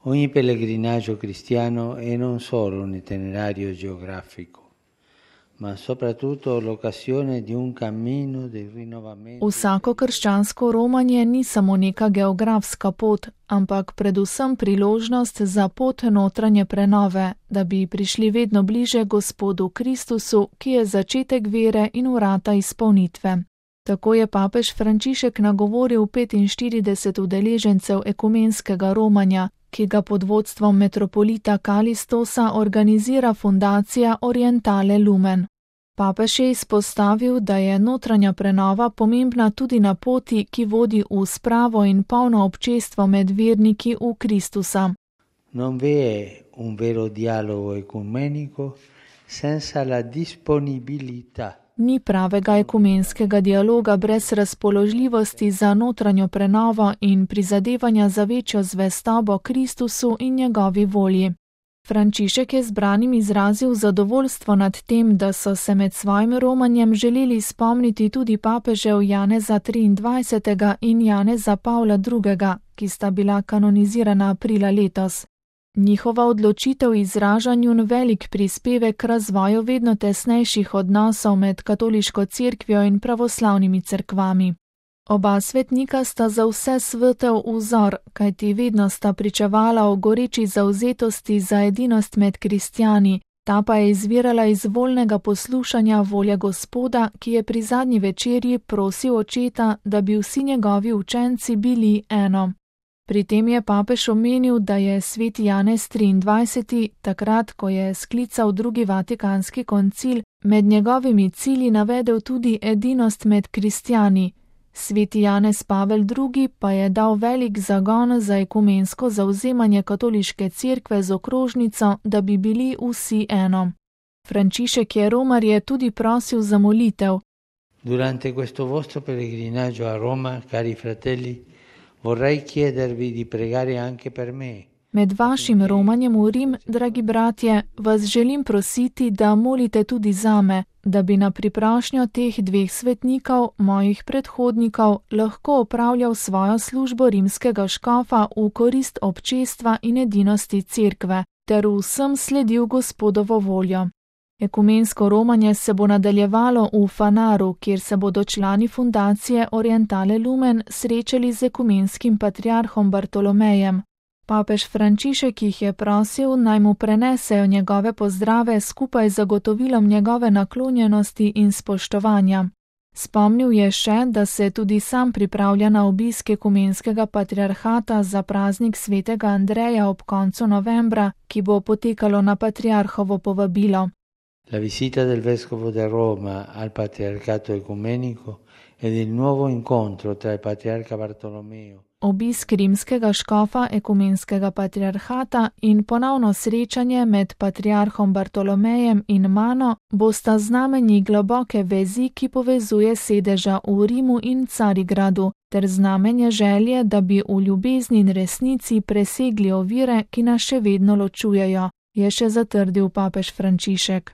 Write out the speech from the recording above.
Ogni pellegrinaggio cristiano è non solo un itinerario geografico, ma soprattutto l'occasione di un cammino di rinnovamento. Vsako krščansko romanje ni samo neka geografska pot, ampak predvsem priložnost za pot notranje prenove, da bi prišli vedno bliže Gospodu Kristusu, ki je začetek vere in vrata izpolnitve. Tako je papež Frančišek nagovoril 45 udeležencev ekumenskega romanja, ki ga pod vodstvom metropolita Kalistosa organizira fundacija Orientale Lumen. Papež je izpostavil, da je notranja prenova pomembna tudi na poti, ki vodi v spravo in polno občestvo med verniki v Kristusa. Non vi è un vero dialogo ecumenico senza la disponibilità. Ni pravega ekumenskega dialoga brez razpoložljivosti za notranjo prenovo in prizadevanja za večjo zvestobo Kristusu in njegovi volji. Frančišek je zbranim izrazil zadovoljstvo nad tem, da so se med svojim romanjem želeli spomniti tudi papežev Janeza 23. in Janeza Pavla II., ki sta bila kanonizirana aprila letos. Njihova odločitev izraža njun velik prispevek k razvoju vedno tesnejših odnosov med katoliško cerkvijo in pravoslavnimi cerkvami. Oba svetnika sta za vse svetel vzor, kajti vedno sta pričevala o goreči zavzetosti za edinost med kristjani, ta pa je izvirala iz voljnega poslušanja volje Gospoda, ki je pri zadnji večerji prosil očeta, da bi vsi njegovi učenci bili eno. Pri tem je papež omenil, da je sveti Janez 23. takrat, ko je sklical drugi vatikanski koncil, med njegovimi cilji navedel tudi edinost med kristjani. Sveti Janez Pavel II. Pa je dal velik zagon za ekumensko zavzemanje katoliške cerkve z okrožnico, da bi bili vsi eno. Frančišek je romarje tudi prosil za molitev. Durante questo vostro pellegrinaggio a Roma, cari fratelli, vorrei chiedervi di pregare anche per me. Med vašim romanjem v Rim, dragi bratje, vas želim prositi, da molite tudi zame, da bi na priprošnjo teh dveh svetnikov, mojih predhodnikov, lahko opravljal svojo službo rimskega škofa v korist občestva in edinosti cerkve, ter vsem sledil Gospodovo voljo. Ekumensko romanje se bo nadaljevalo v Fanaru, kjer se bodo člani fundacije Orientale Lumen srečali z ekumenskim patriarhom Bartolomejem. Papež Frančišek jih je prosil, naj mu prenesejo njegove pozdrave skupaj z zagotovilom njegove naklonjenosti in spoštovanja. Spomnil je še, da se tudi sam pripravlja na obisk ekumenskega patriarhata za praznik svetega Andreja ob koncu novembra, ki bo potekalo na patriarhovo povabilo. La visita del vescovo di Roma al patriarcato ecumenico ed il nuovo incontro tra il patriarca Bartolomeo. Obisk rimskega škofa ekumenskega patriarhata in ponovno srečanje med patriarhom Bartolomejem in mano bosta znamenji globoke vezi, ki povezuje sedeža v Rimu in Carigradu, ter znamenje želje, da bi v ljubezni in resnici presegli ovire, ki nas še vedno ločujejo, je še zatrdil papež Frančišek.